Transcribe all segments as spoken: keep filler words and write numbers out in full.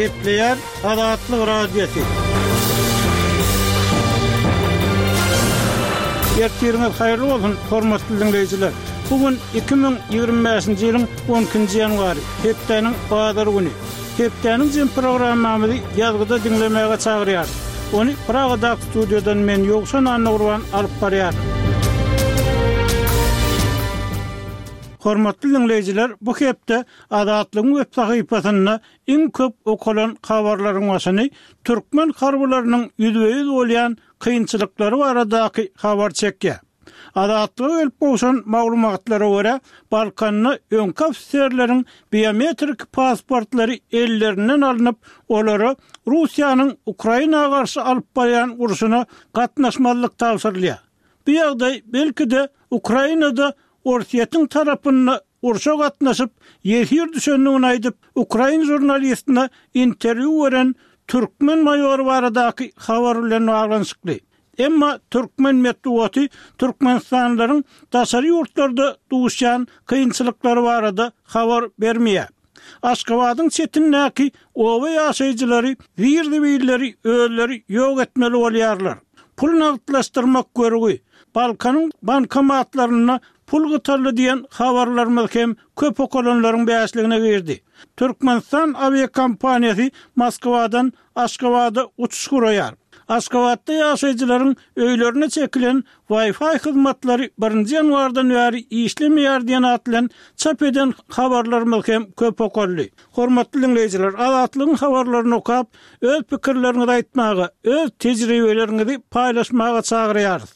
Gepleýär Azatlyk Radiosy. Ertiriňiz haýyrly bolsun, hormatly diňleýjiler! Bu gün iki müň ýigrimi bäşinji ýylyň on ikinji ýanwary, hepdäniň bazar güni. Hepdäniň jem programmamyzy ýazgyda diňlemäge çagyrýarys. Ony Pragadaky studiýadan men Ýowşan Annagurban alyp barýaryn. Hormatly diňleýjiler, bu hepde Azatlygyň web sahypasynda iň köp okalan habarlaryň başyny türkmen harbylarynyň ýüzbe-ýüz bolýan kynçylyklary baradaky habar çekýär. Azatlyga gelip gowşan maglumatlara görä, Balkanda öňki ofiserleriň biometrik pasportlary ellerinden alnyp, olara Russiýanyň Ukraina garşy alyp barýan urşuna gatnaşmazlyk tabşyrylýar. Bu ýagdaý, belki-de, Ukrainada Orsýetiň tarapynda urşa gatnaşyp, ýesir düşendigini aýdyp, ukrain žurnalistine interwýu beren türkmen maýory baradaky habar bilen baglanyşykly. Emma türkmen metbugaty türkmenistanlylaryň daşary ýurtlarda duşýan kynçylyklary barada habar bermeýär. Aşgabadyň çetindäki oba ýaşaýjylary zir-zibilleri özleri ýok etmeli bolýarlar. Pul nagtlaşdyrmak görgi, Balkanyň bankomatlarynda pul gytaldy diýen habarlarymyz hem köp okalanlaryň bäşligine girdi. Türkmenistan awiakompaniýasy Moskwadan Aşgabada uçuş guraýar. Aşgabatda ýaşaýjylaryň öýlerine çekilen Wi-Fi hyzmatlary birinji ýanwardan bäri işlemeýär diýen at bilen çap eden habarlarymyz hem köp okaldy. Hormatly diňleýjiler, Azatlygyň habarlaryny okap, öz pikirleriňizi aýtmaga, öz tejribeleriňizi paýlaşmaga çagyrýarys.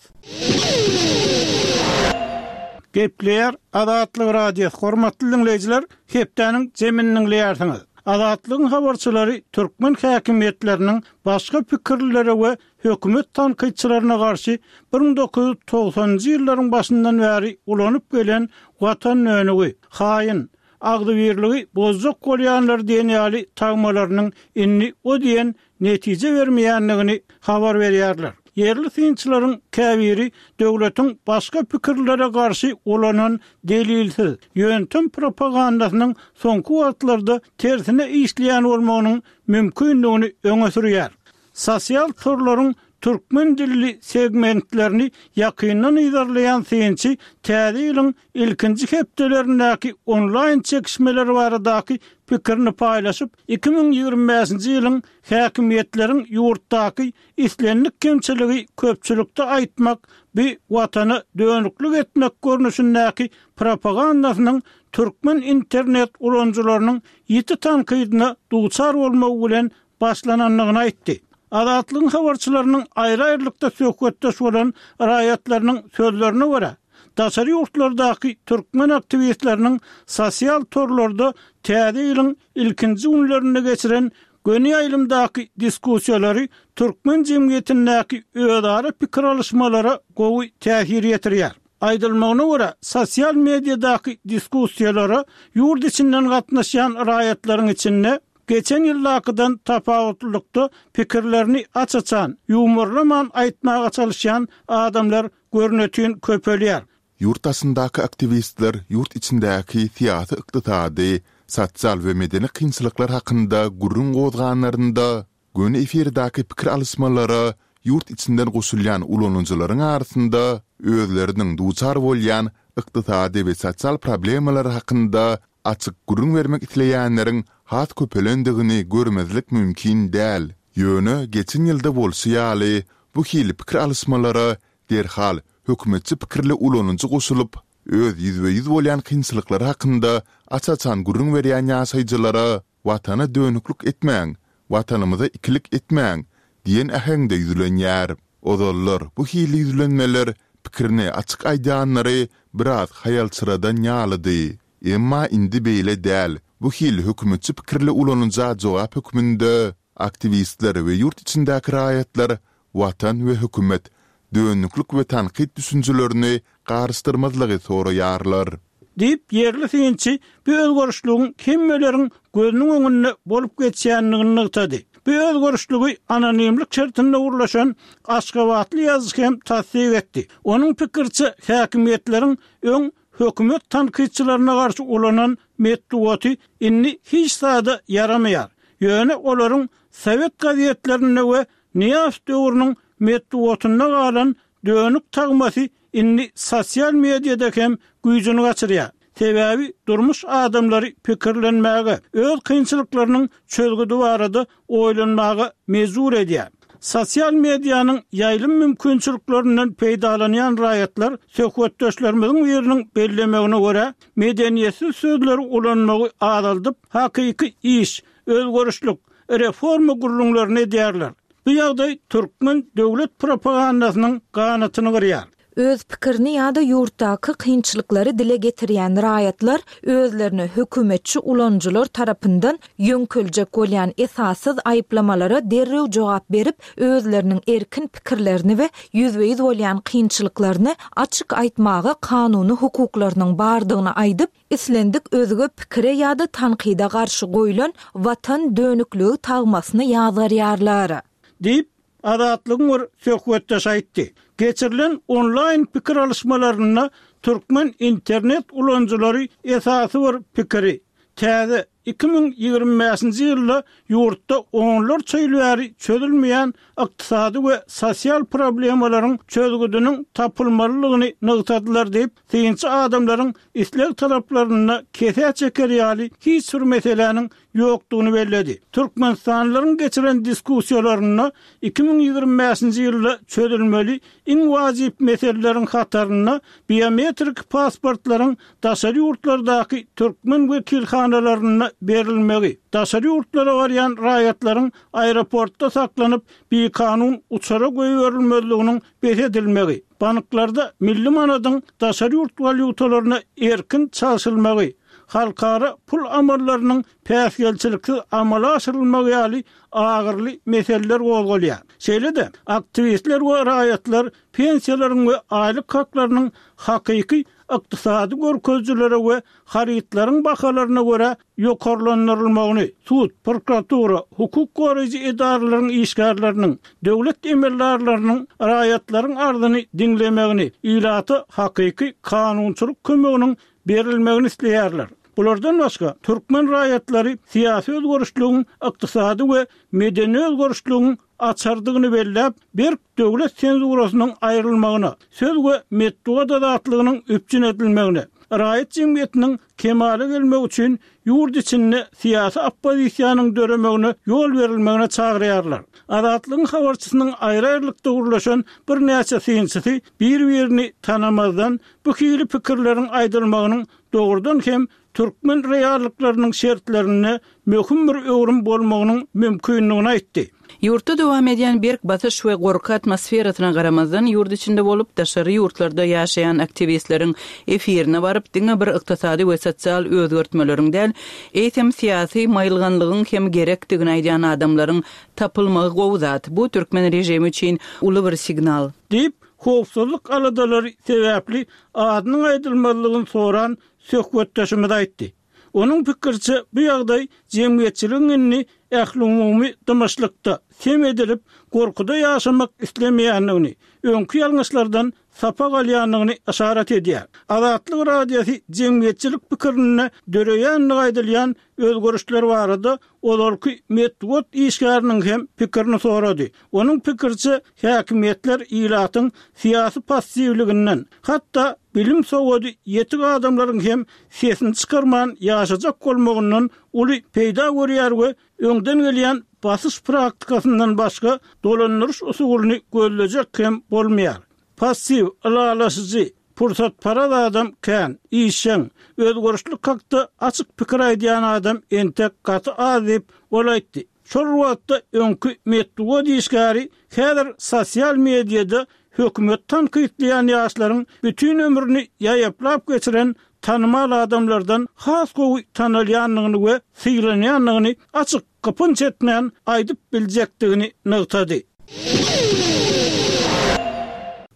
Gepleýär Azatlyk Radiosy, hormatly diňleýjiler, hepdäniň jemini diňleýärsiňiz. Azatlygyň habarçylary türkmen häkimiýetleriniň başga pikirlilere we hökümet tankytçylaryna garşy bir müň dokuz ýüz togsanynjy ýyllaryň başyndan bäri ulanyp gelen watan dönügi, haýyn, agzybirligi bozjak bolýanlar diýen ýaly tagmalarynyň indi o diýen netije bermeýändigini habar berýärler. Ýerli synçylaryň käbiri döwletiň başga pikirlilere garşy ulanan delilsiz, ýöntem propagandasynyň soňky wagtlarda tersine işleýän bolmagynyň mümkindigini öňe sürýär. Sosial torlaryň türkmen dilli segmentlerini ýakyndan yzarlaýan synçy täze ýylyň ilkinji hepdelerindäki onlaýn çekişmeler baradaky pikirini paýlaşyp, iki müň ýigrimi bäşinji ýylyň häkimiýetleriň ýurtdaky islendik kemçiligi köpçülikde aýtmak bi watana dönüklik etmek görnüşindäki propagandasynyň türkmen internet ulanyjylarynyň ýiti tankydyna duçar bolmagy bilen başlanandygyny aýtdy. Azatlygyň habarçylarynyň aýry-aýrylykda söhbetdeş bolan raýatlarynyň sözlerine görä, daşary ýurtlardaky türkmen aktiwistleriniň sosial torlarda täze ýylyň ilkinji günlerinde geçiren göni ýaýlymdaky diskussiýalary türkmen jemgyýetindäki özara pikir alyşmalara gowy täsir ýetirýär. Aýdylmagyna görä, sosial mediadaky diskussiýalara ýurt içinden gatnaşýan raýatlaryň içinde geçen ýyldakydan tapawutlylykda pikirlerini aç-açan, ýuwmarlaman aýtmaga çalyşýan adamlar görnetin köpelýär. Ýurt daşyndaky aktiwistler ýurt içindäki syýasy-ykdysady, sosial we medeni kynçylyklar hakynda gürrüň gozganlarynda, göni efirdäki pikir alyşmalara ýurt içinden goşulýan ulanyjylaryň arasynda özleriniň duçar bolýan ykdysady we sosial problemalary hakynda açyk gürrüň bermek isleýänleriň has köpelendigini görmezlik mümkin däl. Ýöne geçen ýylda bolşy ýaly, bu hili pikir alyşmalara derhal hökümetçi pikirli ulanyjy goşulyp, öz ýüzbe-ýüz bolýan kynçylyklary hakynda aç-açan gürrüň berýän ýaşaýjylara Watana dönüklik etmäň, Watanymyza ikilik etmäň diýen äheňde ýüzlenýär. Ozallar bu hili ýüzlenmeler pikirini açyk aýdýanlary biraz haýalçyradan ýalydy. Emma indi beýle däl, bu hili hökümetçi pikirli ulanyja jogap hökmünde aktiwistler we ýurt içindäki raýatlar Watan we hökümet, dönüklik we tankyt düşünjelerini garyşdyrmazlygy soraýarlar. Diýip, ýerli synçy bu özgerişligiň hemmeleriň gözüniň öňünde bolup geçýändigini nygtady. Bu özgerişligi anonimlik şertinde gürleşen aşgabatly ýazyjy hem tassyk etdi. Onuň pikiriçe, häkimiýetleriň öň hökümet tankytçylaryna garşy ulanan metbugaty indi hiç zada ýaramaýar. Ýöne olaryň sowet gazetlerinde we Nyýazow döwrüniň metbugatynda galan dönük tagmasy indi sosial mediada hem güýjüni gaçyrýar. Sebäbi durmuş adamlary pikirlenmäge, öz kynçylyklarynyň çözgüdi barada oýlanmaga mejbur edýär. Sosial medianyň ýaýlym mümkinçiliklerinden peýdalanýan raýatlar söhbetdeşlerimiziň biriniň bellemegine görä, medeniýetsiz sözleri ulanmagy azaldyp, hakyky iş, özgerişlik, reforma gürrüňlerini edýärler. Bu ýagdaý türkmen döwlet propagandasynyň ganatyny gyrýar. Öz pikirini ýa-da ýurtdaky kynçylyklary dile getirýän raýatlar özlerine hökümetçi ulanyjylar tarapyndan ýöňkeljek bolýan esassyz aýyplamalara derrew jogap berip, özleriniň erkin pikirlerini we ýüzbe-ýüz bolýan kynçylyklaryny açyk aýtmaga kanuny hukuklarynyň bardygyny aýdyp, islendik özge pikire ýa-da tankyda garşy goýlan Watan dönükligi tagmasyny ýazgarýarlar. Diýip, Azatlygyň bir söhbetdeşi aýtdy. Geçirilen onlaýn pikir alyşmalarynda türkmen internet ulanyjylary esasy bir pikiri, täze iki müň ýigrimi bäşinji ýylda ýurtda onlarça ýyl bäri çözülmeýän ykdysady we sosial problemalaryň çözgüdiniň tapylmalydygyny nygtadylar diýip, synçy adamlaryň isleg-talaplarynda kesä çeker ýaly hiç bir meseläniň ýokdugyny belledi. Türkmenistanlylaryň geçiren diskussiýalarynda iki müň ýigrimi bäşinji ýylda çözülmeli iň wajyp meseleleriň hatarynda biometrik pasportlaryň daşary ýurtlardaky türkmen wekilhanalarynda berilmegi, daşary ýurtlara barýan raýatlaryň aeroportda saklanyp, bikanun uçara goýberilmezliginiň bes edilmegi, banklarda milli manadyň daşary ýurt walýutalaryna erkin çalşylmagy, halkara pul amallarynyň päsgelçiliksiz amala aşyrylmagy ýaly agyrly meseleler gozgalýar. Şeýle-de, aktiwistler we raýatlar pensiýalaryň we aýlyk haklarynyň hakyky ykdysady görkezijilere we harytlaryň bahalaryna görä ýokarlandyrylmagyny, sud, prokuratura, hukuk goraýjy edaralaryň işgärleriniň, döwlet emeldarlarynyň raýatlaryň arzyny diňlemegini, ilata hakyky kanunçylyk kömeginiň berilmegini isleýärler. Bulardan başga, türkmen raýatlary syýasy özgerişligiň ykdysady we medeni özgerişligiň açardygyny belläp, berk döwlet senzurasynyň aýrylmagyna, söz we metbugat azatlygynyň üpjün edilmegine, raýat jemgyýetiniň kemala gelmegi üçin ýurt içinde syýasy oppozisiýanyň döremegine ýol berilmegine çagyrýarlar. Azatlygyň habarçysynyň aýry-aýrylykda gürleşen birnäçe synçysy bir-birini tanamazdan bu hili pikirleriň aýdylmagynyň dogrudan hem türkmen reallyklarynyň şertlerinde möhüm bir öwrüm bolmagynyň mümkindigini aýtdy. Ýurtda dowam edýän berk basyş we gorky atmosferasyna garamazdan, ýurt içinde bolup, daşary ýurtlarda ýaşaýan aktiwistleriň efirine baryp, diňe bir ykdysady we sosial özgertmeleriň däl, eýsem syýasy maýylganlygyň hem gerekdigini aýdýan adamlaryň tapylmagy gowy zat. Bu türkmen režimi üçin uly bir signal. Diýip, howpsuzlyk aladalary sebäpli adynyň aýdylmazlygyny soran söhbetdeşimiz aýtdy. Onuň pikiriçe, bu ýagdaý jemgyýetçiligiň indi ählumumy dymyşlykda, sem edilip, gorkuda ýaşamak islemeýändigini, öňki ýalňyşlardan sapak alýandygyny yşarat edýär. Azatlyk Radiosy jemgyýetçilik pikirinde döreýändigi aýdylýan özgerişler barada ozalky metbugat işgäriniň hem pikirini sorady. Onuň pikiriçe, häkimiýetler ilatyň syýasy passiwliginden, hatda bilim-sowady ýetik adamlaryň hem sesini çykarman ýaşajak bolmagyndan uly peýda görýär we öňden gelýän basyş praktikasyndan başga dolandyryş usulyny gözlejek hem bolmaýar. Passiw, ylalaşyjy, pursatparaz adam kän, işjeň, özgerişlik hakda açyk pikir aýdýan adam entek gaty az diýip, ol aýtdy. Şol bir wagtda öňki metbugat işgäri häzir sosial mediada hökümeti tankytlaýan ýaşlaryň bütin ömrüni ýaýaplap geçiren tanymal adamlardan has gowy tanalýandygyny we sylanýandygyny açyk gypynç etmän aýdyp biljekdigini nygtady.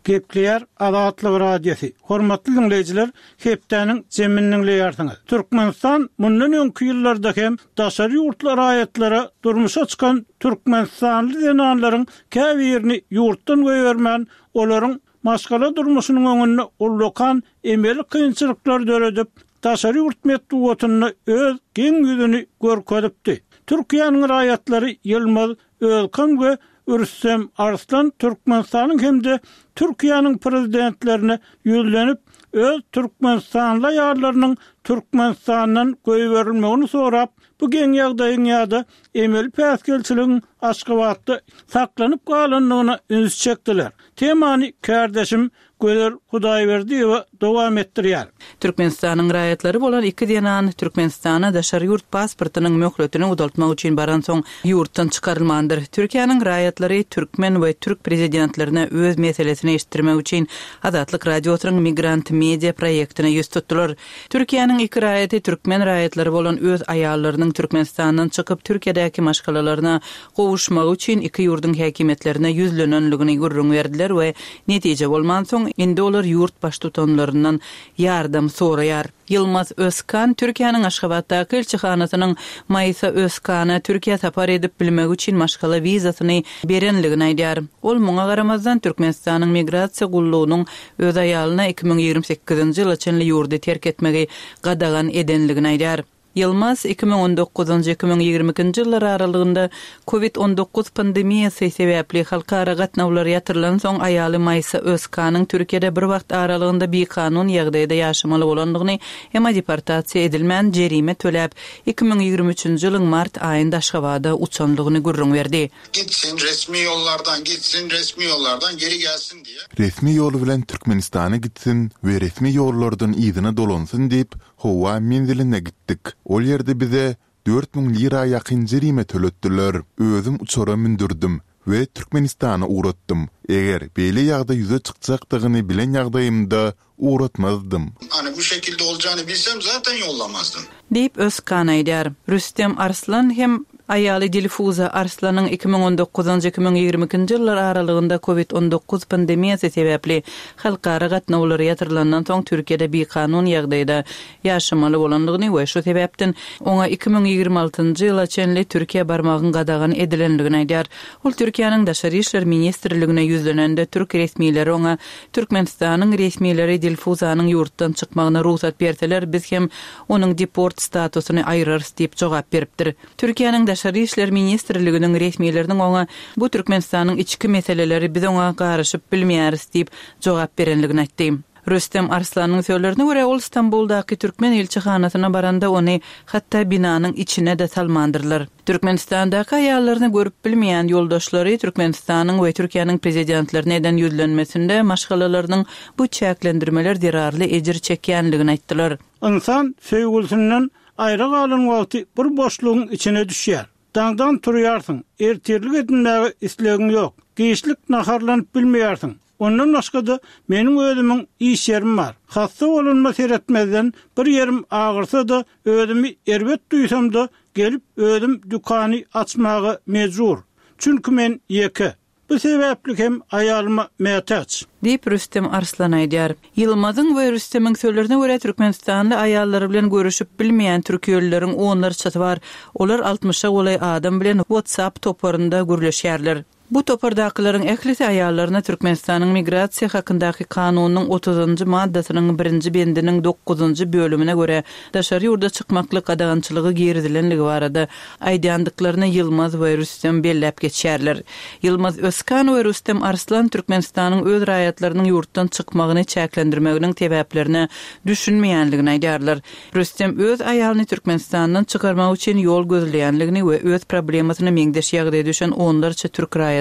Gepleýär Azatlyk Radiosy. Hormatly diňleýjiler, hepdäniň jemini diňleýärsiňiz. Türkmenistan mundan öňki ýyllarda hem daşary ýurtly raýatlara durmuşa çykan türkmenistanly zenanlaryň käbirini ýurtdan goýbermän, olaryň maşgala durmuşynyň öňünde ullakan emeli kynçylyklar döredip, daşary ýurt metbugatynda öz geň ýüzüni görkezipdi. Türkiýäniň raýatlary Ýylmaz Özkan we Rüstem Arslan Türkmenistanyň hem-de Türkiýäniň prezidentlerine ýüzlenip, öz türkmenistanly aýallarynyň Türkmenistandan goýberilmegini sorap, bu geň ýagdaýyň ýa-da emeli päsgelçiligiň Aşgabatda saklanyp galandygyna üns çekdiler. Temany kärdeşim Gözel Hudaýberdiýewa dowam etdirýär. Türkmenistanyň raýatlary bolan iki zenan Türkmenistana daşary ýurt pasportynyň möhletini uzaltmak üçin baransoň ýurtdan çykarylmandyr. Türkiýäniň raýatlary türkmen we türk prezidentlerine öz meselesini eşitdirmek üçin Azatlyk Radiosynyň Migrant Media proýektine ýüz tutdular. Türkiýäniň iki raýaty türkmen raýatlary bolan öz aýallarynyň Türkmenistandan çykyp Türkiýedäki maşgalalaryna gowuşmagy üçin iki ýurduň häkimiýetlerine ýüzlenenligini gürrüň berdiler we netije bolmansoň indi olar ýurt baştutanlaryndan ýardam soraýar. Ýylmaz Özkan Türkiýäniň Aşgabatdaky ilçihanasynyň Maýsa Özkana Türkiýä sapar edip bilmegi üçin maşgala wizasyny berenligini aýdýar. Ol muňa garamazdan Türkmenistanyň Migrasiýa gullugynyň öz aýalyna iki müň ýigrimi sekizinji ýyla çenli ýurdy terk etmegi gadagan edenligini aýdýar. Ýylmaz iki müň on dokuzynjy, iki müň ýigrimi ikinji ýyllar aralygynda Covid on dokuz pandemiýasy sebäpli halkara gatnawlar ýatyrylansoň aýaly Maýsa Özkanyň Türkiýede bir wagt aralygynda bikanun ýagdaýda ýaşamaly bolandygyny, emma deportasiýa edilmän jerime töläp, iki müň ýigrimi üçünji ýylyň mart aýynda Aşgabada uçandygyny gürrüň berdi. Gitsin, resmi ýollardan gitsin, resmi ýollardan geri gelsin diýe. Resmi ýol bilen Türkmenistana gitsin we resmi ýollardan yzyna dolansyn diýip, howa menziline gitdik. Ol ýerde bize dört müň lira ýakyn jerime töletdiler. Özüm uçara mündürdim we Türkmenistana ugratdym. Eger beýle ýagdaý ýüze çykjakdygyny bilen ýagdaýymda ugratmazdym. Hani bu şekilde olacağını bilsem zaten yollamazdım. Diýip Özkan aýdýar. Rüstem Arslan hem aýaly Dilfuza Arslanyň iki müň on dokuzynjy, iki müň ýigrimi ikinji ýyllar aralygynda Covid on dokuz pandemiýasy sebäpli halkara gatnawlary ýatyrylandan soň Türkiýede bikanun ýagdaýda ýaşamaly bolandygyny we şu sebäpden oňa iki müň ýigrimi altynjy ýyla çenli Türkiýä barmagyň gadagan edilendigini aýdýar. Ol Türkiýäniň Daşary işler ministrligine ýüzlenende türk resmileri oňa Türkmenistanyň resmileri Dilfuzanyň ýurtdan çykmagyna rugsat berseler, biz hem onuň deport statusyny aýyrarys diýip jogap beripdir. Türkiýäniň Daşary işler ministrliginiň resmileriniň oňa bu Türkmenistanyň içki meseleleri biz oňa garyşyp bilmeýäris diýip jogap berenligini aýtdy. Rüstem Arslanyň sözlerine görä ol Stambuldaky türkmen ilçihanasyna baranda ony hatda binanyň içine de salmandyrlar. Türkmenistandaky aýallaryny görüp bilmeýän ýoldaşlary Türkmenistanyň we Türkiýäniň prezidentlerine eden ýüzlenmesinde maşgalalarynyň bu çäklendirmeler zerarly ejir çekýänligini aýtdylar. Ynsan söýgülsinden aýra galan wagty bir boşlugyň içine düşýär. Daňdan turýarsyň, ertirlik edinmäge islegiň ýok. Giçlik naharlanyp bilmeýärsiň. Ondan başga-da meniň özümiň iş ýerim bar. Hassa bolunma seretmezden bir ýerim agyrsa-da özümi erbet duýsam-da gelip özüm dükany açmaga mejbur. Çünki men ýeke. Bu sebäpli hem aýalyma mätäç. Diýip Rüstem Arslan aýdýar. Ýylmazyň we Rüstemiň sözlerine görä Türkmenistanly aýallary bilen görüşip bilmeýän türkiýelileriň onlarçasy bar. Olar altmyşa golaý adam bilen WhatsApp toparynda gürleşýärler. Bu topardakylaryň ählisi aýallaryna Türkmenistanyň migrasiýa hakyndaky kanunyň otuzynjy maddasynyň birinji bendiniň dokuzynjy bölümine görä daşary ýurda çykmaklyk gadagançylygy girizilenligi barada aýdýandyklaryny Ýylmaz we Rüstem belläp geçýärler. Ýylmaz Özkan we Rüstem Arslan Türkmenistanyň öz raýatlarynyň ýurtdan çykmagyny çäklendirmeginiň sebäplerine düşünmeýänligini aýdýarlar. Rüstem öz aýalyny Türkmenistandan çykarmak üçin ýol gözleýänligini we öz problemasyna meňzeş ýagdaýa düşen onlarça türk raýatynyň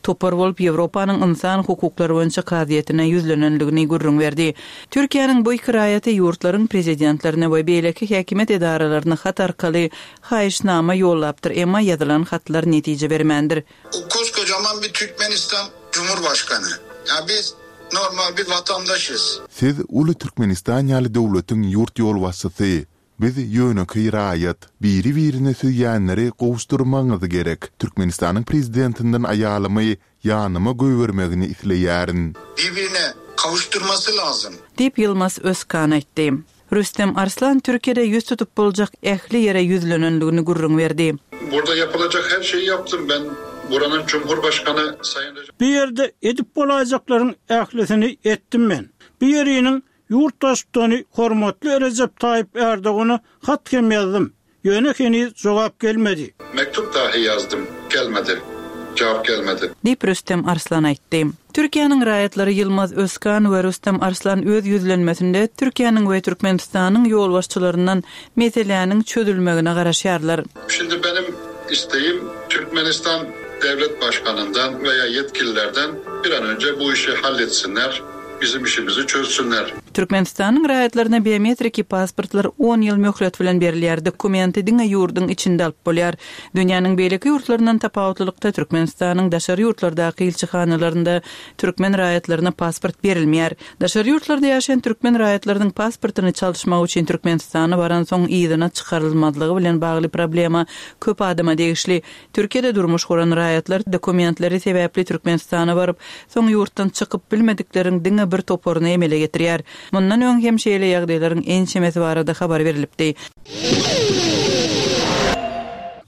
topar bolup Ýewropanyň insan hukuklary boýunça kazyýetine ýüzlenenligini gürrüň berdi. Türkiýäniň bu iki raýaty ýurtlaryň prezidentlerine we beýleki häkimiýet edaralaryna hat arkaly haýyşnama ýollapdyr, emma ýazylan hatlar netije bermändir. O koskocaman bir Türkmenistan Cumhurbaşkanı. Ya biz normal bir vatandaşız. Siz uly Türkmenistan ýaly döwletiň ýurt ýolbaşçysy, biz ýönekeý raýat, biri-birine söýýänleri gowuşdurmagyňyz gerek. Türkmenistanyň prezidentinden aýalymy ýanyma goýbermegini isleýärin. Birbirine kavuşturması lazım. Diýip Ýylmaz Özkan aýtdy. Rüstem Arslan Türkiýede ýüz tutup boljak ähli ýere ýüzlenenligini gürrüň berdi. Burada yapılacak her şeyi yaptım ben. Buranın Cumhurbaşkanı Sayın Recep Bu ýerde edip bolaýjaklaryň ählisini etdim men. Bu ýeriniň ýurt baştutany hormatly Recep Tayyip Erdogana hat hem ýazdym. Ýöne heniz jogap gelmedi. Mektup dahi yazdym, gelmedi. Cevap gelmedi. Diýip Rüstem Arslan aýtdy. Türkiýäniň raýatlary Ýylmaz Özkan we Rüstem Arslan öz ýüzlenmesinde Türkiýäniň we Türkmenistanyň ýolbaşçylaryndan meseläniň çözülmegine garaşýarlar. Şimdi benim isteğim Türkmenistan Devlet Başkanından veya yetkililerden bir an önce bu işi halletsinler, bizim işimizi çözsünler. Türkmenistanyň raýatlaryna biometriki pasportlar on ýyl möhlet bilen berilýär. Dokumenti diňe ýurduň içinde alyp bolýar. Dünýäniň beýleki ýurtlaryndan tapawutlylykda Türkmenistanyň daşary ýurtlardaky ilçihanalarynda türkmen raýatlaryna pasport berilmeýär. Daşary ýurtlarda ýaşaýan türkmen raýatlarynyň pasportyny çalyşmak üçin Türkmenistana baran soň yzyna çykarylmazlygy bilen bagly problema köp adama degişli. Türkiýede durmuş guran raýatlar dokumentleri sebäpli Türkmenistana baryp, soň ýurtdan çykyp bilmedikleriň diňe bir toparyny emele getirýär. Mundan öň hem şeýle ýagdaýlaryň ençemesi barada habar berilipdi.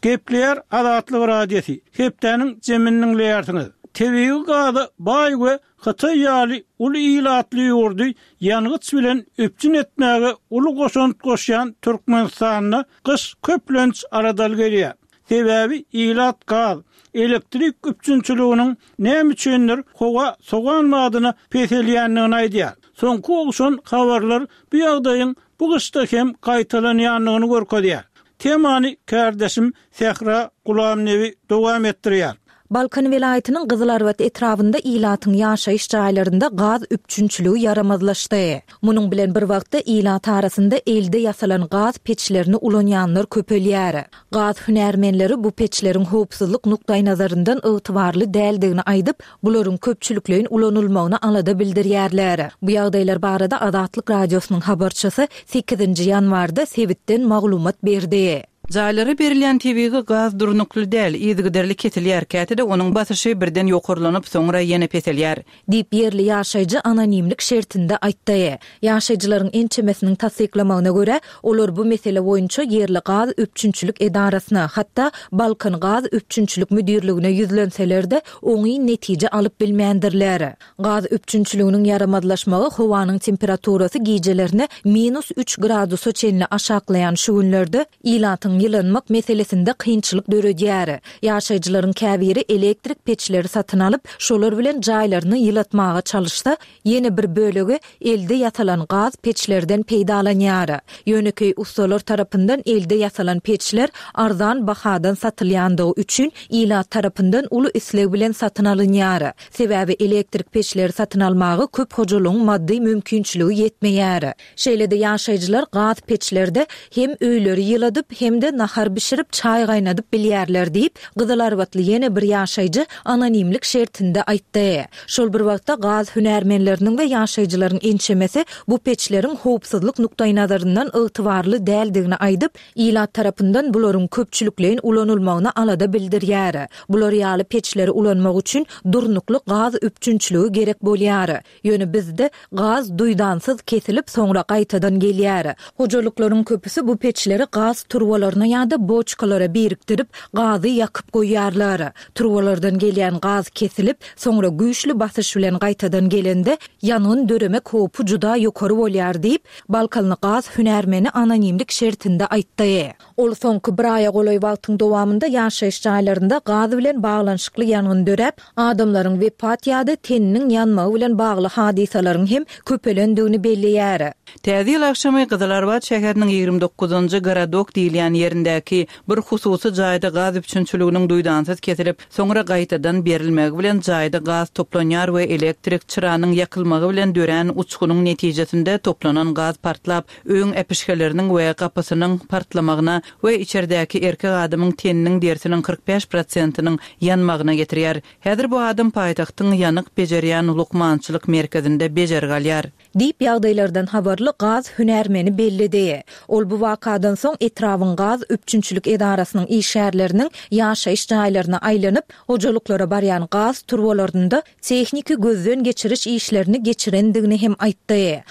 Gepleýär Azatlyk Radiosy. Hepdäniň jemini diňleýärsiňiz. Tebigy gaza baý we Hytaý ýaly uly ilatly ýurdy ýangyç bilen üpjün etmäge uly goşant goşýan Türkmenistanda gyş köplenç aradal gelýär. Sebäbi ilat gaz, elektrik üpjünçiliginiň näme üçindir howa sogan badyna peselýändigini aýdýar. Soňky ogşan habarlar bu ýagdaýyň bu gyşda hem gaýtalanýandygyny görkezýär. Temany kärdeşim Sähra Gulamnebi dowam etdirýär. Balkan welaýatynyň Gyzylarbat etrabynda ilatyň ýaşaýyş jaýlarynda gaz üpjünçiligi ýaramazlaşdy. Munuň bilen bir wagtda ilat arasynda elde ýasalan gaz peçlerini ulanýanlar köpelýär. Gaz hünärmenleri bu peçleriň howpsuzlyk nukdaýnazaryndan ygtybarly däldigini aýdyp, bularyň köpçülikleýin ulanylmagyna alada bildirýärler. Bu ýagdaýlar barada Azatlyk Radiosynyň habarçysy sekizinji ýanwarda sebitden maglumat berdi. Jaýlara berilýän tebigy gaz durnukly däl, yzygiderli kesilýär, käte-de onuň basyşy birden ýokarlanyp, soňra ýene peselýär. Diýip ýerli ýaşaýjy anonimlik şertinde aýtdy. Ýaşaýjylaryň ençemesiniň tassyklamagyna görä, olar bu mesele boýunça ýerli gaz üpjünçilik edarasyna, hatda Balkan gaz üpjünçilik müdirligine ýüzlenseler-de, oňyn netije alyp bilmändirler. Gaz üpjünçiliginiň ýaramazlaşmagy howanyň temperaturasy gijelerine minus üç gradusa çenli aşaklaýan şu günlerde ilatyň ýylanmak meselesinde kynçylyk döredýär. Ýaşaýjylaryň käbiri elektrik peçleri satyn alyp, şolar bilen jaýlaryny ýylatmaga çalyşsa, ýene bir bölegi elde ýasalan gaz peçlerden peýdalanýar. Ýönekeý ustalar tarapyndan elde ýasalan peçler arzan bahadan satylýandygy üçin ilat tarapyndan uly isleg bilen satyn alynýar. Sebäbi elektrik peçleri satyn almaga köp hojalygyň maddy mümkinçiligi ýetmeýär. Şeýle-de ýaşaýjylar gaz peçlerde hem öýleri ýyladyp, hem-de nahar bişirip, çaý gaýnadyp bilýärler diýip, Gyzylarbatly ýene bir ýaşaýjy anonimlik şertinde aýtdy. Şol bir wagtda gaz hünärmenleriniň we ýaşaýjylaryň ençemesi bu peçleriň howpsuzlyk nukdaýnazaryndan ygtybarly däldigini aýdyp, ilat tarapyndan bularyň köpçülikleýin ulanylmagyna alada bildirýär. Bular ýaly peçleri ulanmak üçin durnukly gaz üpjünçiligi gerek bolýar. Ýöne bizde gaz duýdansyz kesilip, soňra gaýtadan gelýär. Hojalyklaryň köpüsi bu peçleri gaz turbalaryna ýa-da boçkalara birikdirip, gazy ýakyp goýýarlar. Turbalardan gelýän gaz kesilip, soňra güýçli basyş bilen gaýtadan gelende ýangyn döremek howpy juda ýokary bolýar diýip, Balkanly gaz hünärmeni anonimlik şertinde aýtdy. Ol soňky bir aýa golaý wagtyň dowamynda ýaşaýyş jaýlarynda gaz bilen baglanyşykly ýangyn döräp, adamlaryň wepat ýa-da teniniň ýanmagy bilen bagly hadysalaryň hem köpelendigini belleýär. Täze ýyl agşamy Gyzylarbat şäheriniň ýigrimi dokuzynjy Gorodok diýilýän ýerindäki bir hususy jaýda gaz üpjünçiliginiň duýdansyz kesilip, soňra gaýtadan berilmegi bilen jaýda gaz toplanýar we elektrik çyranyň ýakylmagy bilen dörän uçgunyň netijesinde toplanan gaz partlap, öýüň äpişgeleriniň we gapysynyň partlamagyna we içerdäki erkek adamyň teniniň derisiniň kyrk bäş prosentiniň ýanmagyna getirýär. Häzir bu adam paýtagtyň ýanyk bejerýän lukmançylyk merkezinde bejergi alýar. Diýip ýagdaýlardan habarly gaz hünärmeni belledi. Ol bu wakadan soň etrabyň gaz üpjünçilik edarasynyň işgärleriniň ýaşaýyş jaýlaryna aýlanyp, hojalyklara barýan gaz turbalarynda tehniki gözden geçiriş işlerini geçirendigini hem aýtdy.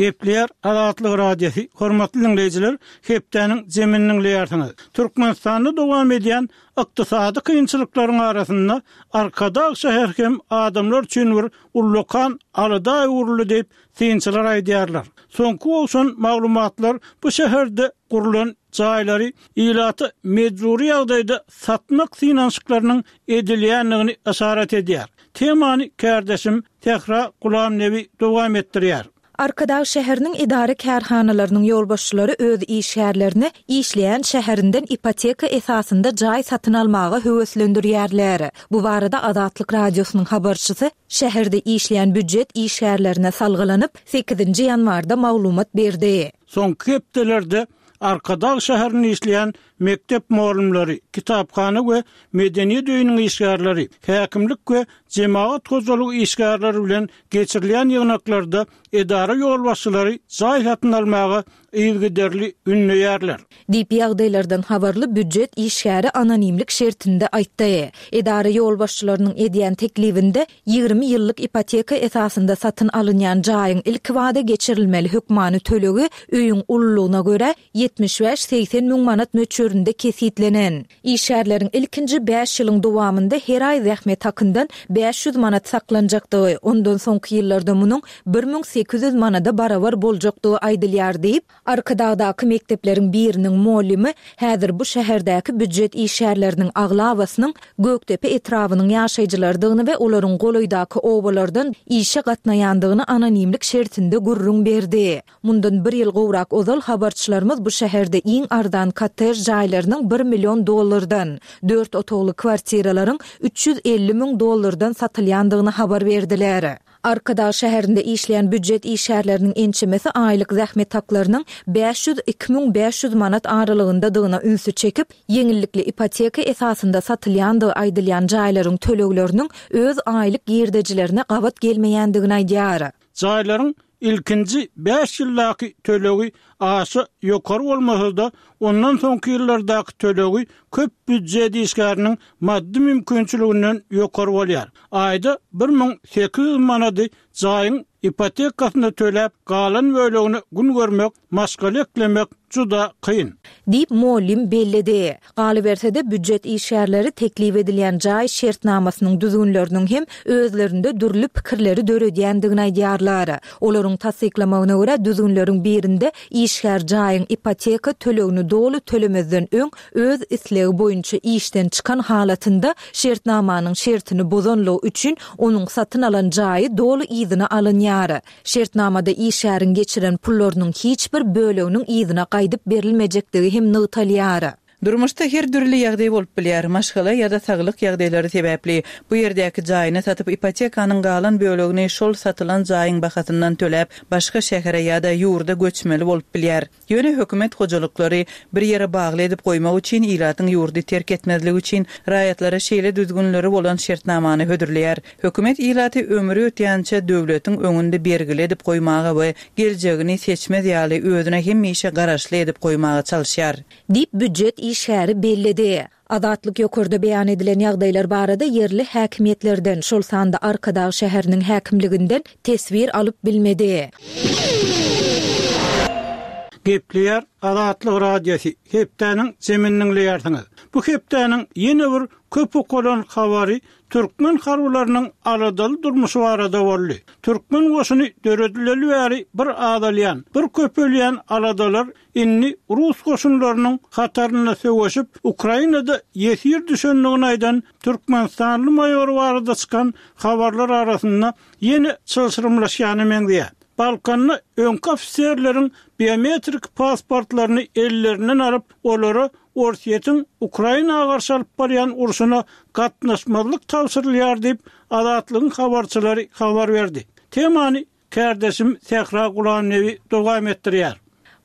Gepleýär Azatlyk Radiosy, hormatly diňleýjiler, hepdäniň jemini diňleýärsiňiz. Türkmenistanda dowam edýän ykdysady kynçylyklaryň arasynda Arkadag şäheri hem adamlar üçin bir ullakan alada öwrüldi diýip, synçylar aýdýarlar. Soňky gowşan maglumatlar bu şäherde gurlan jaýlary ilata mejbury ýagdaýda satmak synanyşyklarynyň edilýändigini yşarat edýär. Temany kärdeşim Sähra Gulamnebi dowam etdirýär. Arkadag şäheriniň edara-kärhanalarynyň ýolbaşçylary öz işgärlerini işleýän şäherinden ipoteka esasynda jaý satyn almaga höweslendirýärler. Bu barada Azatlyk Radiosynyň habarçysy şäherde işleýän býujet işgärlerine salgylanyp, sekizinji ýanwarda maglumat berdi. Soňky hepdelerde Arkadag şäherinde işleýän mekdep mugallymlary, kitaphana we medeniýet öýüniň işgärleri, häkimlik we jemagat hojalygy işgärleri bilen geçirilýän ýygnaklarda edara ýolbaşçylary jaý satyn almaga yzygiderli ündeýärler. Diýip, ýagdaýlardan habarly býujet işgäri anonimlik şertinde aýtdy. Edara ýolbaşçylarynyň edýän teklibinde ýigrimi ýyllyk ipoteka esasynda satyn alynýan jaýyň ilkibada geçirilmeli hökmany tölegi öýüň ululygyna görä ýetmiş bäş-segsen müň manat möçberinde kesgitlenen. Işgärleriň ilkinji bäş ýylyň dowamynda her aý zähmet hakyndan bäş ýüz manat saklanjakdygy, ondan soňky ýyllarda munuň bir müň sekiz ýüz manada barabar boljakdygy aýdylýar diýip, Arkadagdaky mekdepleriň biriniň mugallymy häzir bu şäherdäki býujet işgärleriniň aglabasynyň Gökdepe etrabynyň ýaşaýjylarydygyny we olaryň golaýdaky obalardan işe gatnaýandygyny anonimlik şertinde gürrüň berdi. Mundan bir ýyl gowrak ozal habarçylarymyz bu şäherde iň arzan kottej jaýlarynyň bir million dollardan, dört otagly kwartiralaryň üç ýüz elli müň dollardan satylýandygyny habar berdiler. Arkadag şäherinde işleýän býujet işgärleriniň ençemesi aýlyk zähmet haklarynyň bäş ýüz iki müň bäş ýüz manat aralygyndadygyna ünsi çekip, ýeňillikli ipoteka esasynda satylýandygy aýdylýan jaýlaryň tölegleriniň öz aýlyk girdejilerine gabat gelmeýändigini aýdýar. Jaýlaryň ilkinji bäş ýyldaky tölegi aşa ýokary bolmasa-da, ondan soňky ýyllardaky tölegi köp býujet işgäriniň maddy mümkinçiliginden ýokary bolýar. Aýda bir müň sekiz ýüz manady jaýyň ipotekasyny töläp, galan bölegini gün görmek, maşgala eklemek juda kyn. Diýip, mugallym belledi. Galyberse-de, býujet işgärleri teklip edilýän jaý şertnamasynyň düzgünleriniň hem özlerinde dürli pikirleri döredýändigini aýdýarlar. Olaryň tassyklamagyna görä, düzgünleriň birinde işgär jaýyň ipoteka tölegini doly tölemezden öň öz islegi boýunça işden çykan halatynda şertnamanyň şertini bozanlygy üçin onuň satyn alan jaýy doly yzyna alynýar. Şertnamada işgäriň geçiren pullarynyň hiç bir böleginiň yzyna gaýdyp berilmejekdigi hem nygtalýar. Durmuşda her dürli ýagdaý bolup bilýär. Maşgala ýa-da saglyk ýagdaýlary sebäpli bu ýerdäki jaýyny satyp, ipotekanyň galan bölegini şol satylan jaýyň bahasyndan töläp, başga şähere ýa-da ýurda göçmeli bolup bilýär. Ýöne hökümet hojalyklary bir ýere bagly edip goýmak üçin ilatyň ýurdy terk etmezligi üçin raýatlara şeýle düzgünleri bolan şertnamany hödürleýär. Hökümet ilaty ömri ötýänçä döwletiň öňünde bergili edip goýmaga we geljegini seçmez ýaly özüne hemişe garaşly edip goýmaga çalyşýar. Diýip, býujet işgäri belledi. Azatlyk ýokarda beýan edilen ýagdaýlar barada ýerli häkimiýetlerden, şol sanda Arkadag şäheriniň häkimliginden teswir alyp bilmedi. Gepleýär Azatlyk Radiosy, hepdäniň jemini diňleýärsiňiz. Bu hepdäniň ýene bir köp okalan habary türkmen harbylarynyň aladaly durmuşy barada boldy. Türkmen goşuny döredileli bäri bir azalýan, bir köpelýän aladalar indi rus goşunlarynyň hatarynda söweşip, Ukrainada ýesir düşendigini aýdan türkmenistanly maýor barada çykan habarlar arasynda ýene çylşyrymlaşýana meňzeýär. Balkanda öňki ofiserleriň biometrik pasportlaryny ellerinden alyp, olara Orsýetiň Ukraina garşy alyp barýan urşuna gatnaşmazlyk tabşyrylýar diýip, Azatlygyň habarçylary habar berdi. Temany kärdeşim Sähra Gulamnebi dowam etdirýär.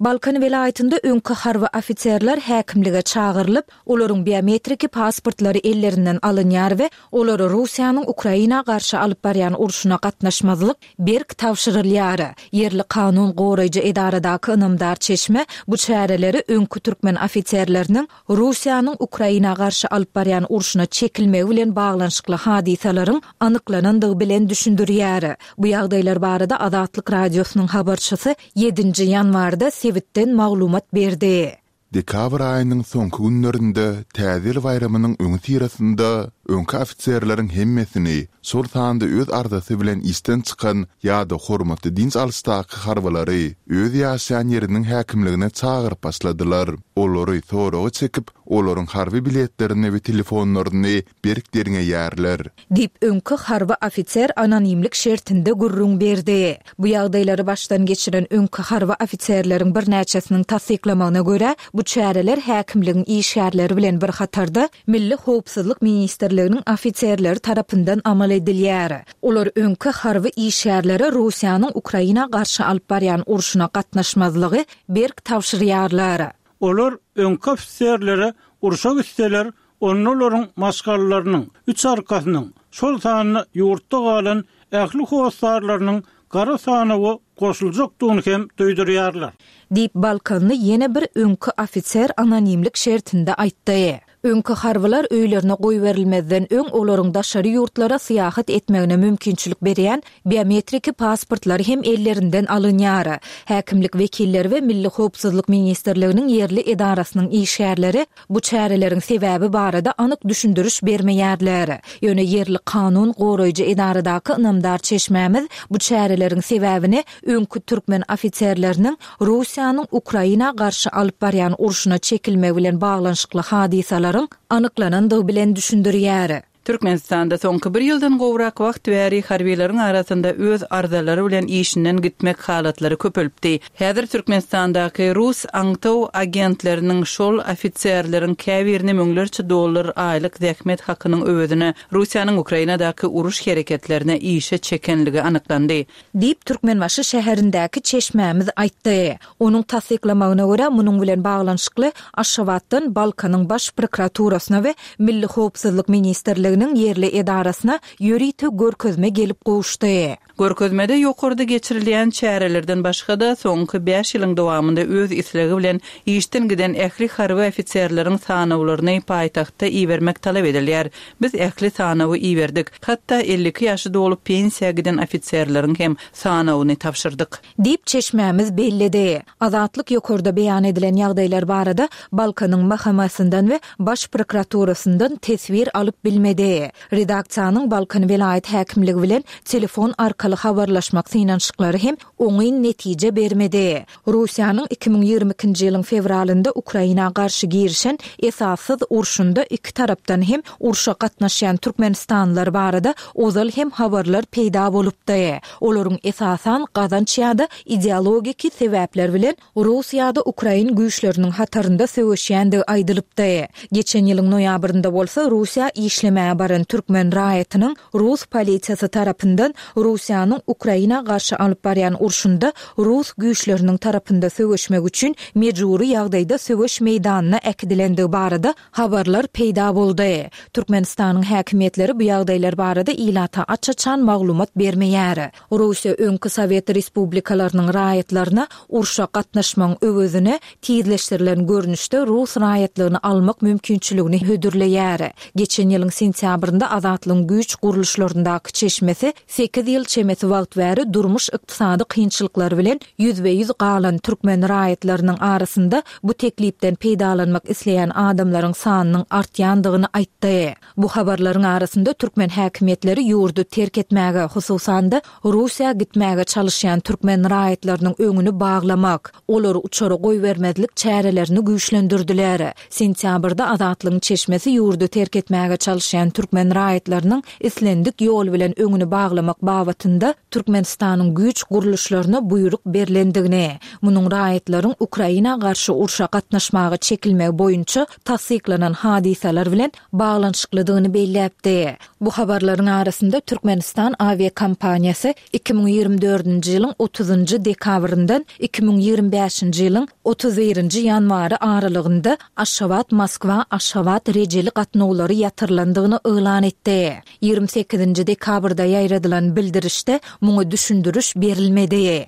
Balkan welaýatynda öňki harby ofiserler häkimlige çagyrylyp, olaryň biometriki pasportlary ellerinden alynýar we olara Russiýanyň Ukraina garşy alyp barýan urşuna gatnaşmazlyk berk tabşyrylýar. Ýerli kanun goraýjy edaradaky ynamdar çeşme bu çäreleri öňki türkmen ofiserleriniň Russiýanyň Ukraina garşy alyp barýan urşuna çekilmegi bilen baglanyşykly hadysalaryň anyklanandygy bilen düşündirýär. Bu ýagdaýlar barada Azatlyk Radiosynyň habarçysy ýedinji ýanwarda sebitden maglumat berdi. Dekabr aýynyň soňky günlerinde Täze ýyl baýramynyň öňüsyrasynda öňki ofiserleriň hemmesini, şol sanda öz arzasy bilen işden çykan ýa-da hormatly dynç alyşdaky harbylary öz ýaşaýan ýeriniň häkimligine çagyryp başladylar. Olary soraga çekip, olaryň harby biletlerini we telefonlaryny berk derňeýärler. Diýip, öňki harby ofiser anonimlik şertinde gürrüň berdi. Bu ýagdaýlary başdan geçiren öňki harby ofiserleriň birnäçesiniň tassyklamagyna görä, bu çäreler häkimligiň işgärleri bilen bir hatarda Milli howpsuzlyk ministrliginiň ofiserleri tarapyndan amal edilýär. Olar öňki harby işgärlere Russiýanyň Ukraina garşy alyp barýan urşuna gatnaşmazlygy berk tabşyrýarlar. Olar öňki ofiserlere urşa gitseler, onda olaryň maşgalalarynyň, üç arkasynyň, şol sanda ýurtda galan ähli hossarlarynyň gara sanawa goşuljakdygyny hem duýdurýarlar. Diýip, balkanly ýene bir öňki ofiser anonimlik şertinde aýtdy. Öňki harbylar öýlerine goýberilmezden öň olaryň daşary ýurtlara syýahat etmegine mümkinçilik berýän biometriki pasportlary hem ellerinden alynýar. Häkimlik wekilleri we Milli howpsuzlyk ministrliginiň ýerli edarasynyň işgärleri bu çäreleriň sebäbi barada anyk düşündiriş bermeýärler. Ýöne ýerli kanun goraýjy edaradaky ynamdar çeşmämiz bu çäreleriň sebäbini öňki türkmen ofiserleriniň Russiýanyň Ukraina garşy alyp barýan urşuna çekilmegi bilen baglanyşykly hadysalaryň anyklanandygy bilen düşündirýär. Türkmenistanda soňky bir ýyldan gowrak wagt bäri harbylaryň arasynda öz arzalary bilen işinden gitmek halatlary köpelipdi. Häzir Türkmenistandaky rus aňtaw agentleriniň şol ofiserleriň käbirini müňlerçe dollar aýlyk zähmet hakynyň öwezine Russiýanyň Ukrainadaky uruş hereketlerine işe çekenligi anyklandy. Diýip, Türkmenbaşy şäherindäki çeşmämiz aýtdy. Onuň tassyklamagyna görä, munuň bilen baglanyşykly Aşgabatdan Balkanyň Baş prokuraturasyna we Milli howpsuzlyk ministrliginiň ýerli edarasyna ýörite görkezme gelip gowuşdy. Görkezmede ýokarda geçirilýän çärelerden başga-da soňky bäş ýylyň dowamynda öz islegi bilen işden giden ähli harby ofiserleriň sanawlaryny paýtagtda ibermek talap edilýär. Biz ähli sanawy iberdik. Hatda elli iki ýaşy dolup pensiýa giden ofiserleriň hem sanawyny tabşyrdyk. Diýip, çeşmämiz belledi. Azatlyk ýokarda beýan edilen ýagdaýlar barada Balkanyň M H M-sinden we Baş prokuraturasyndan teswir alyp bilmedi. Redaksiýanyň Balkan welaýat häkimligi bilen telefon arkaly habarlaşmak synanyşyklary hem oňyn netije bermedi. Russiýanyň iki müň ýigrimi ikinji ýylyň fewralynda Ukraina garşy girişen esassyz urşunda iki tarapdan hem urşa gatnaşýan türkmenistanlylar barada ozal hem habarlar peýda bolupdy. Olaryň esasan gazanç ýa-da ideologiki sebäpler bilen Rus ýa-da Ukrain güýçleriniň hatarynda söweşýändigi aýdylypdy. Geçen ýylyň noýabrynda bolsa Russiýa işlemäge baran türkmen raýatynyň Rus polisiýasy tarapyndan Russiýanyň Ukraina garşy alyp barýan urşunda Rus güýçleriniň tarapynda söweşmek üçin mejbury ýagdaýda söweş meýdanyna äkidilendigi barada habarlar peýda boldy. Türkmenistanyň häkimiýetleri bu ýagdaýlar barada ilata aç-açan maglumat bermeýär. Russiýa öňki Sowet Respublikalarynyň raýatlaryna urşa gatnaşmagyň öwezine tizleşdirilen görnüşde Rus raýatlygyny almak mümkinçiligini hödürleýär. Geçen ýylyň sentýabrynda Azatlygyň güýç gurluşlaryndaky çeşmesi sekiz ýyl çemesi wagt bäri durmuş ykdysady kynçylyklary bilen ýüzbe-ýüz galan türkmen raýatlarynyň arasynda bu teklipden peýdalanmak isleýän adamlaryň sanynyň artýandygyny aýtdy. Bu habarlaryň arasynda türkmen häkimiýetleri ýurdy terk etmäge, hususan-da Russiýa gitmäge çalışýan türkmen raýatlarynyň öňüni baglamak, olary uçara goýbermezlik çärelerini güýçlendirdiler. Sentýabrda Azatlygyň çeşmesi ýurdy terk etmäge çalışýan çekýän türkmen raýatlarynyň islendik ýol bilen öňüni baglamak babatynda Türkmenistanyň güýç gurluşlaryna buýruk berlendigini, munuň raýatlaryň Ukraina garşy urşa gatnaşmaga çekilmegi boýunça tassyklanan hadysalar bilen baglanyşyklydygyny belläpdi. Bu habarlaryň arasynda Türkmenistan awiakompaniýasy iki müň ýigrimi dördünji ýylyň otuzynjy dekabryndan iki müň ýigrimi bäşinji ýylyň otuz birinji ýanwary aralygynda Aşgabat-Moskwa-Aşgabat rejeli gatnawlary ýatyrylandygyny yglan etdi. Ýigrimi sekizinji dekabrda ýaýradylan bildirişde muňa düşündiriş berilmedi.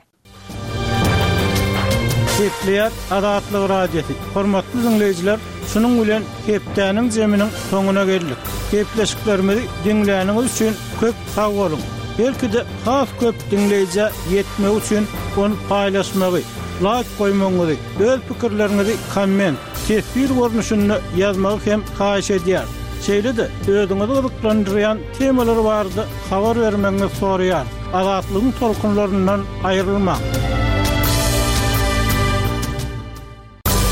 Gepleýär Azatlyk Radiosy. Hormatly diňleýjiler, şunuň bilen hepdäniň zeminiň soňuna geldik. Gepleşiklerimizi diňläniňiz üçin köp sag boluň. Belki-de has köp diňleýjä ýetmegi üçin ony paýlaşmagy, laýk goýmagyňyzy, öz pikirleriňizi komment, teswir görnüşinde ýazmagy hem haýyş edýäris. Şeýle-de özüňizi gyzyklandyrýan temalar barada habar bermegiňizi soraýarys. Azatlygyň tolkunlaryndan aýrylmaň.